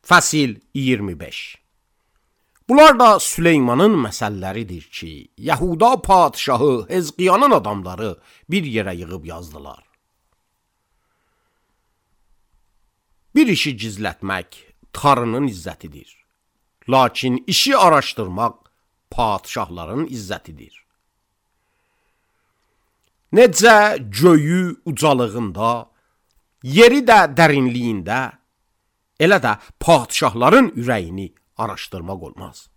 Fəsil 25. Bunlar da Süleymanın məsəlləridir ki, Yahuda padişahı Hezqiyanın adamları bir yerə yığıb yazdılar. Bir işi gizlətmək tarının izzətidir. Lakin işi araşdırmaq padişahların izzətidir. Necə göyü ucalığında, yeri də dərinliyində, elə də padişahların ürəyini araşdırmaq olmaz.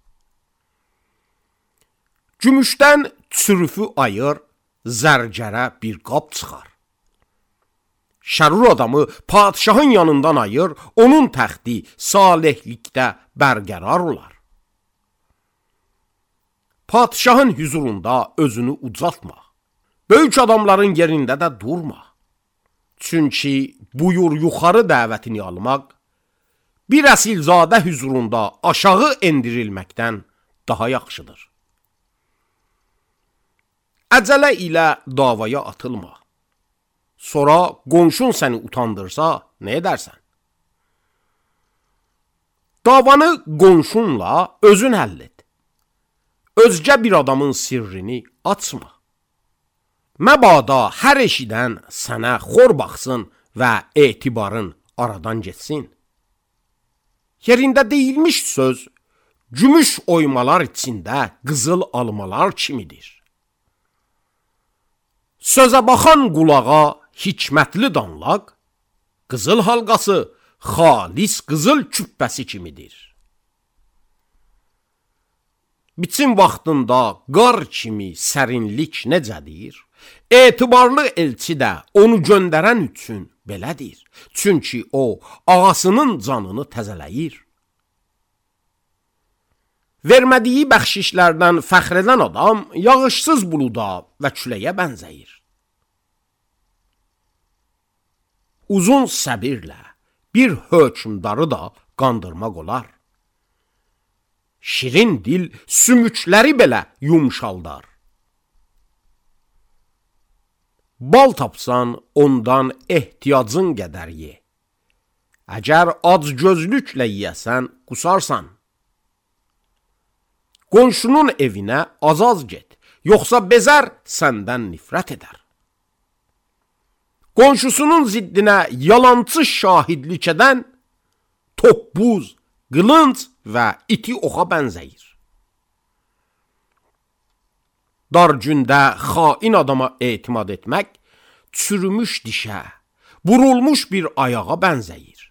Gümüşdən çürüfü ayır, zərgərə bir qab çıxar. Şərur adamı padişahın yanından ayır, onun təxti salihlikdə bərqərar olar. Padişahın hüzurunda özünü ucaltma. Böyük adamların yerində də durma. Çünki buyur yuxarı dəvətini almaq, bir əsilzadə hüzurunda aşağı endirilməkdən daha yaxşıdır. Əcələ ilə davaya atılma. Sonra qonşun səni utandırsa, nə edərsən? Davanı qonşunla özün həll et. Özgə bir adamın sirrini açma. Məbada hər eşidən sənə xor baxsın və etibarın aradan getsin. Yerində deyilmiş söz, gümüş oymalar içində qızıl almalar kimidir. Sözə baxan qulağa hikmətli danlaq, qızıl halqası xalis qızıl küpbəsi kimidir. Biçim vaxtında qar kimi sərinlik necədir? Etibarlı elçi də onu göndərən üçün belədir. Çünki o, ağasının canını təzələyir. Vermədiyi bəxşişlərdən fəxr edən adam, yağışsız buluda və küləyə bənzəyir. Uzun səbirlə bir hökmdarı da qandırmaq olar. Şirin dil sümükləri belə yumşaldar. Bal tapsan, ondan ehtiyacın qədər ye. Əgər acgözlüklə yiyəsən, qusarsan. Qonşunun evinə az-az get, yoxsa bezər səndən nifrət edər. Qonşusunun ziddinə yalançı şahidlik edən, toppuz, qılınc və iti oxa bənzəyir. Dar gündə xain adama etimad etmək, çürümüş dişə, vurulmuş bir ayağa bənzəyir.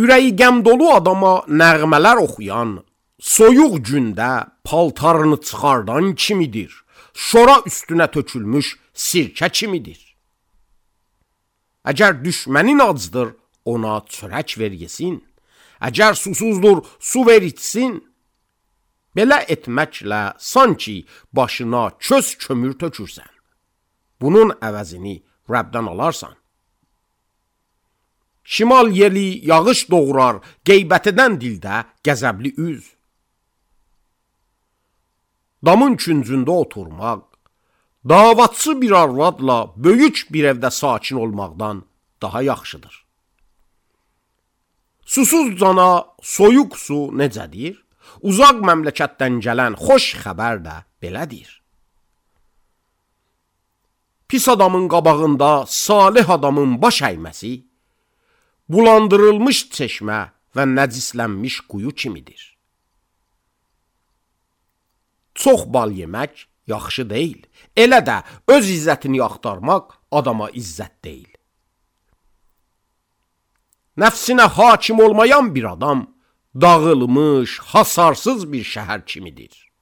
Ürəyi qəm dolu adama nəğmələr oxuyan, soyuq gündə paltarını çıxardan kimidir, şora üstünə tökülmüş sirkə kimidir. Əgər düşmənin acdır, ona çörək ver yesin, əgər susuzdur, su ver içsin. Belə etməklə sanki başına köz kömür tökürsən. Bunun əvəzini Rəbdən alarsan. Şimal yeli yağış doğurar, qeybət edən dildə qəzəbli üz. Damın küncündə oturmaq, davatçı bir arvadla böyük bir evdə sakin olmaqdan daha yaxşıdır. Susuz cana soyuq su necədir? Uzaq məmləkətdən gələn xoş xəbər də belədir. Pis adamın qabağında salih adamın baş əyməsi, bulandırılmış çeşmə və nəcislənmiş quyu kimidir. Çox bal yemək yaxşı deyil, elə də öz izzətini axtarmaq adama izzət deyil. Nəfsinə hakim olmayan bir adam, dağılmış, hasarsız bir şəhər kimidir.